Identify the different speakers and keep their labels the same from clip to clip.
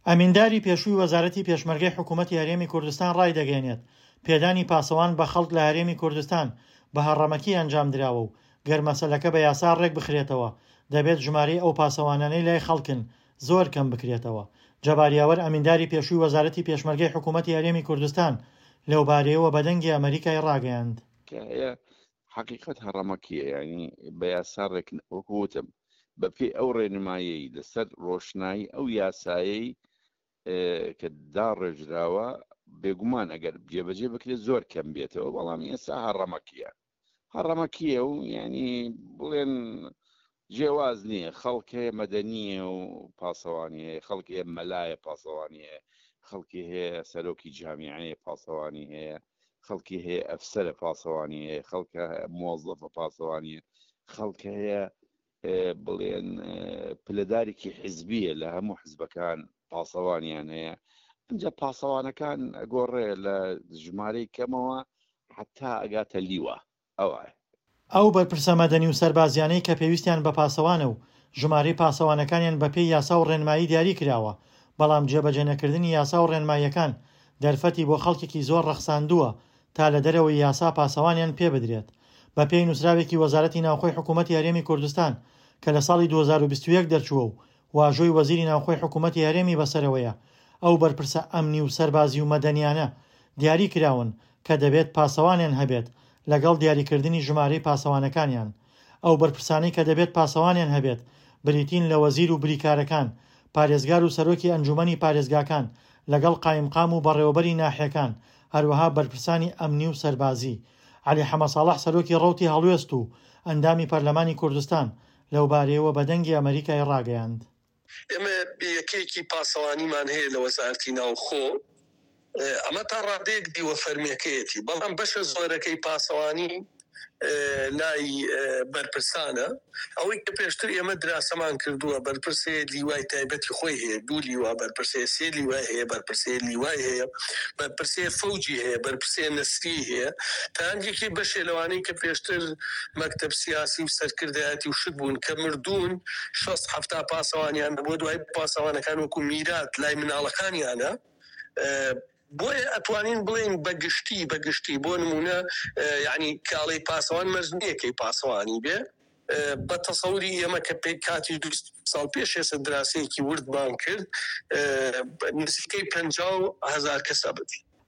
Speaker 1: ئەمینداری پێشووی وەزارەتی پێشمەرگەی حکوومەتی هەرێمی کوردستان ڕایدەگەیەنێت، پێدانی پاسەوان بە خەڵک لە هەرێمی کوردستان بە هەڕەمەکی ئەنجامدراوە و گەر مەسەلەکە بە یاسا ڕێکبخرێتەوە دەبێت ژمارەی ئەو پاسەوانانەی لای خەڵکن زۆر کەم بکرێتەوە. جەبار یاوەر ئەمینداری پێشووی وەزارەتی پێشمەرگەی حکوومەتی هەرێمی کوردستان لەوبارەیەوە بە دەنگی ئەمەریکای ڕاگەیاند.
Speaker 2: کە هەیە حەقیقەت هەڕەمەکیە یانی بە یاسا ڕێک وەکو وتم بە پێی ئەو ڕێنمایەی لەسەر ڕۆشنایی ئەو یاسایەی کە داڕێژراوە بێگومان ئەگەر جێبەجێ بکرێت زۆر کەم بێتەوە بەڵام ئێستا هەڕەمەکیە هەڕەمەکیە و یعنی بڵێن جیاواز نییە خەڵک هەیە مەدەنیە و پاسەوانی هەیە خەڵک هەیە مەلایە پاسەوانی هەیە خەڵکی هەیە سەرۆکی جامیعەیە پاسەوانی هەیە خەڵکی هەیە ئەفسەرە پاسەوانی هەیە خەڵکە مۆزەفە پاسەوانی خەڵک هەیە بڵێن پلەدارێکی حزبیە لە هەموو حزبەکان پاسەوانیان هەیە ئەجا پاسەوانەکان گۆڕێ لە ژمارەی کەمەوە حتا ئەگاتە لیوە ئەوە.
Speaker 1: ئەو بەرپرسە مەدەنی و سەربازیانەی کە پێویستیان بە پاسەوانە و ژمارەی پاسەوانەکانیان بەپێی یاسا و ڕێنمایی دیاری کراوە، بەڵام جێبەجێنەکردنی یاسا و ڕێنماییەکان دەرفەتی بۆ خەڵکێکی زۆر ڕەخساندووە تا لە دەرەوەی یاسا پاسەوانیان پێبدرێت. بەپێی نووسراوێکی وەزارەتی ناوخۆی حکوومەتی هەرێمی کوردستان کە لە ساڵی 2021 دەرچووە و واژۆی وەزیری ناوخۆی حکوومەتی هەرێمی بەسەرەوەیە، ئەو بەرپرسە ئەمنی و سەربازی و مەدەنیانە دیاری کراون کە دەبێت پاسەوانیان هەبێت لەگەڵ دیاریکردنی ژمارەی پاسەوانەکانیان. ئەو بەرپرسانەی کە دەبێت پاسەوانیان هەبێت بریتین لە وەزیر و بریکارەکان، پارێزگار و سەرۆکی ئەنجوومەنی پارێزگاکان لەگەڵ قایمقام و بەڕێوەبەری ناحیەکان، هەروەها بەرپرسانی ئەمنی و سەربازی. عەلی حەمەساڵح سەرۆکی ڕەوتی هەڵوێست و ئەندامی پەرلەمانی کوردستان لەوبارەیەوە بە دەنگی ئەمەریکای ڕاگەیاند.
Speaker 3: ئێمە یەکەیەکی پاسەوانیمان هەیە لە وەزارەتی ناوخۆ، ئەمە تا ڕادەیەک دیوە فەرمیەکەیەتی، بەڵام بەشە زۆرەکەی پاسەوانی لای بەرپرسانە. ئەوەی کە پێشتر ئێمە دراسەمان کردووە، بەرپرس هەیە لیوای تایبەتی خۆی هەیە، دوو لیوا بەرپرس هەیە، سێ لیوای هەیە، بەرپرس هەیە لیوای هەیە، بەرپرس هەیە فەوجی هەیە، بەرپرس هەیە نەسریی هەیە، تا هەندێکی بەشێ لەوانەی کە پێشتر مەکتەب سیاسی و سەرکردایەتی و شت بوون کە مردوون شەست حەفتا پاسەوانیان هەبووە، دوای پاسەوانەکان وەکو میرات لای مناڵەکانیانە. بۆیە ئەتوانین بڵێین بە گشتی بە گشتی بۆ نموونە یانی کاڵەی پاسەوان مەرج نییە کەی پاسەوانی بێ بە تەسەوری ئێمە کە پێ کاتی دو ساڵ پێش ئێستا دراسەیەکی وردمان کرد نزیکەی 50 هەزار کەس ئەبن.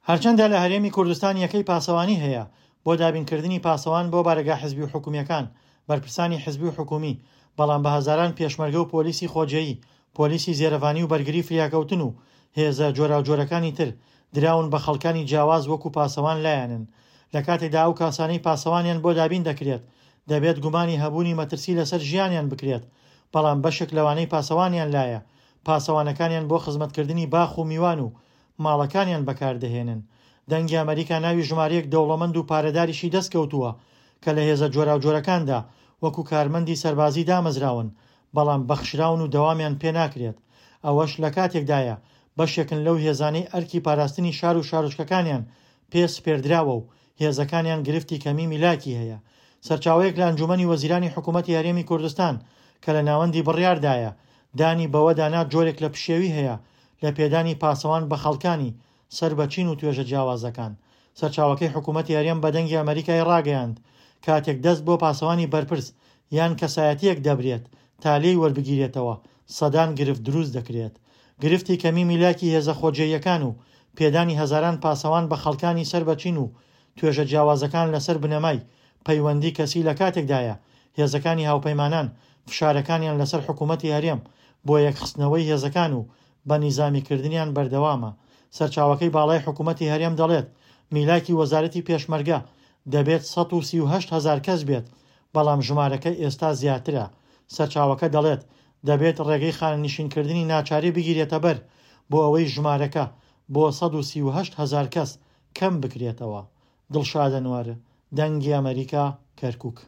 Speaker 1: هەرچەندە لە هەرێمی کوردستان یەکەی پاسەوانی هەیە بۆ دابینکردنی پاسەوان بۆ بارەگا حزبی و حکومییەکان، بەرپرسانی حزبی و حکومی، بەڵام بە هەزاران پێشمەرگە و پۆلیسی خۆجێیی، پۆلیسی زێرەڤانی و بەرگری فریاکەوتن و هێزە جۆراوجۆرەکانی تر دراون بە خەڵکانی جیاواز وەکو پاسەوان لایانن. لە کاتێکدا ئەو کاسانەی پاسەوانیان بۆ دابین دەکرێت دەبێت گومانی هەبوونی مەترسی لەسەر ژیانیان بکرێت، بەڵام بەشێک لەوانەی پاسەوانیان لایە پاسەوانەکانیان بۆ خزمەتکردنی باخ و میوان و ماڵەکانیان بەکاردەهێنن. دەنگی ئەمەریکا ناوی ژمارەیەک دەوڵەمەند و پارەداریشی دەستکەوتووە کە لە هێزە جۆراوجۆرەکاندا وەکو کارمەندی سەربازی دامەزراون، بەڵام بەخشراون و دەوامیان پێناکرێت. ئەوەش لەکاتێکدایە بەشێکن لەو هێزانەی ئەرکی پاراستنی شار و شارۆچکەکانیان پێ سپێردراوە و هێزەکانیان گرفتی کەمی میلاکی هەیە. سەرچاوەیەک لە ئەنجومەنی وەزیرانی حکومەتی هەرێمی کوردستان کە لە ناوەندی بڕیاردایە، دانی بەوەدا نا جۆرێک لە پشێوی هەیە لە پێدانی پاسەوان بە خەڵکانی سەر بە چین و توێژە جیاوازەکان. سەرچاوەکەی حکومەتی هەرێم بە دەنگی ئەمەریکای ڕاگەیاند، کاتێک دەست بۆ پاسەوانی بەرپرس یان کەسایەتییەک دەبرێت تا لێی وەربگیرێتەوە، سەدان گرفت دروست دەکرێت. گرفتی کەمی میلاکی هێزە خۆجێیەکان و پێدانی هەزاران پاسەوان بە خەڵکانی سەر بە چین و توێژە جیاوازەکان لەسەر بنەمای پەیوەندی کەسی لە کاتێکدایە هێزەکانی هاوپەیمانان فشارەکانیان لەسەر حکومەتی هەرێم بۆ یەکخستنەوەی هێزەکان و بە نیزامیکردنیان بەردەوامە. سەرچاوەکەی باڵای حکومەتی هەرێم دەڵێت، میلاکی وەزارەتی پێشمەرگە دەبێت 138 هەزار کەس بێت، بەڵام ژمارەکە ئێستا زیاترە. سەرچاوەکە دەڵێت، دەبێت ڕێگەی خانەنشینکردنی ناچاری بگیرێتەبەر بۆ ئەوەی ژمارەکە بۆ 138 هەزار کەس کەم بکرێتەوە. دڵشاد ئەنوەر، دەنگی ئەمەریکا، کەرکوک.